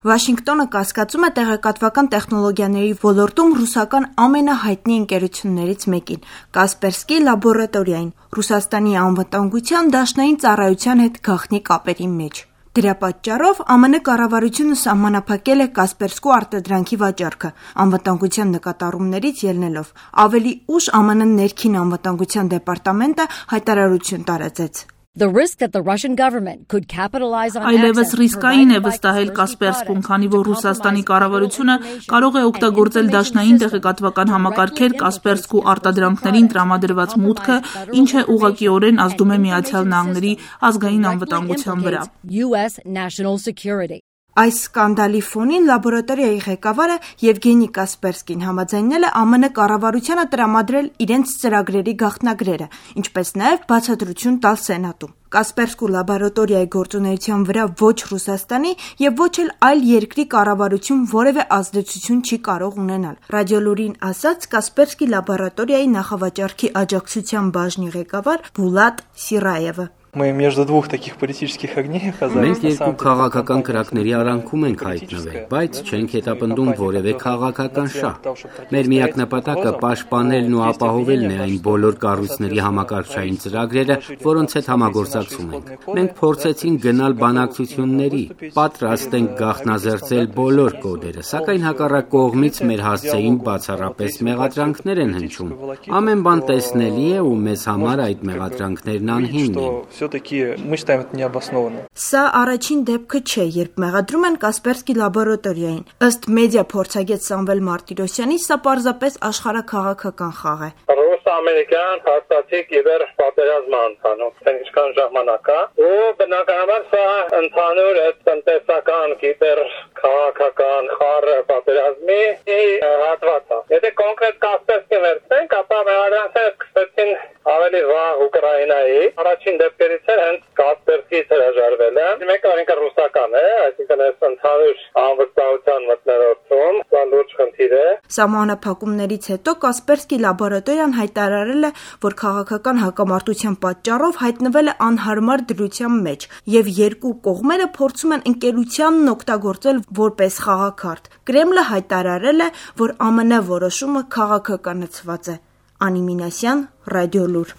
Վաշինգտոնը կասկածում է տեղեկատվական տեխնոլոգիաների ոլորտում ռուսական ամենահայտնի ընկերություններից մեկին՝ Կասպերսկի լաբորատորիային, Ռուսաստանի անվտանգության դաշնային ծառայության հետ գաղտնի կապերի մեջ։ Դրա պատճառով ԱՄՆ կառավարությունը սահմանափակել է Կասպերսկու արտադրանքի վաճառքը՝ անվտանգության նկատառումներից ելնելով։ Ավելի ուշ ԱՄՆ ներքին անվտանգության դեպարտամենտը հայտարարություն տարածեց. Այլևս ռիսկային է վստահել Կասպերսկուն, քանի որ Ռուսաստանի կառավարությունը կարող է օգտագործել դաշնային տեղեկատվական համակարգեր Կասպերսկու արտադրանքներին տրամադրված մուտքը, ինչը ուղղակիորեն ազդում է Միացյալ Նահանգների ազգային անվտանգության վրա։ Այս սկանդալի ֆոնին լաբորատորիայի ղեկավարը Եվգենի Կասպերսկին համաձայնել է ԱՄՆ կառավարությանը տրամադրել իրենց ծրագրերի գաղտնագրերը, ինչպես նաև բացատրություն տալ Սենատում։ Կասպերսկու լաբորատորիայի գործունեության վրա ոչ Ռուսաստանի և ոչ էլ այլ երկրի կառավարություն որևէ ազդեցություն չի կարող ունենալ։ Ռադիոլուրին ասաց Կասպերսկի լաբորատորիայի նախավաճառքի աջակցության բաժնի ղեկավար Բուլատ Սիրայևը։ Մենք երկու քաղաքական կրակների արանքում ենք հայտնվել, բայց չենք հետապնդում որևէ քաղաքական շահ։ Մեր միակ նպատակը պաշտպանելն ու ապահովելն է այն բոլոր կառույցների համակարգչային ծրագրերը, որոնց հետ համագործակցում ենք։ Մենք փորձեցինք գնալ բանակցությունների, պատրաստ ենք գաղտնազերծել բոլոր կոդերը, սակայն հակառակ կողմից մեր հասցեին բացառապես մեղադրանքներ են հնչում։ Ամեն բան տեսնելի է ու մեզ համար այդ մեղադրանքներն անհիմն են։ Սա առաջին դեպքը չէ, երբ մեղադրում են Կասպերսկի լաբորատորիային։ Ըստ մեդիա փորձագետ Սամվել Մարտիրոսյանի, սա պարզապես աշխարհաքաղաքական խաղ է։ Ռուս-ամերիկյան հաստատի կիբեր պատերազմ ընթանում, ինչքան ժամանակ է, ու բնականաբար սա ընդհանուր տնտեսական կիբեր քաղաքական խառը պատերազմի հատված է։ Եթե կոնկրետ Կասպերսկի վերցնենք, ապա մեղադրանքները սկսեցին ավելի վաղ Ուկրաինայի։ Առաջին դեպքերից էր հենց Կասպերսկից հրաժարվել է։ Մեկը ինքը ռուսական է, այսինքն այս ընդհանուր անվստահության մթնոլորտում սա լուրջ խնդիր է։ Սահմանափակումներից հետո Կասպերսկի լաբորատորիան հայտարարել է, որ քաղաքական հակամարտության պատճառով հայտնվել է անհարմար դրության մեջ, եւ երկու կողմերը փորձում են ընկերությանն օգտագործել որպես խաղաքարտ։ Կրեմլը հայտարարել է, որ ԱՄՆ որոշումը քաղաքականացված է։ Անի Մինասյան, Ռադիոլուր։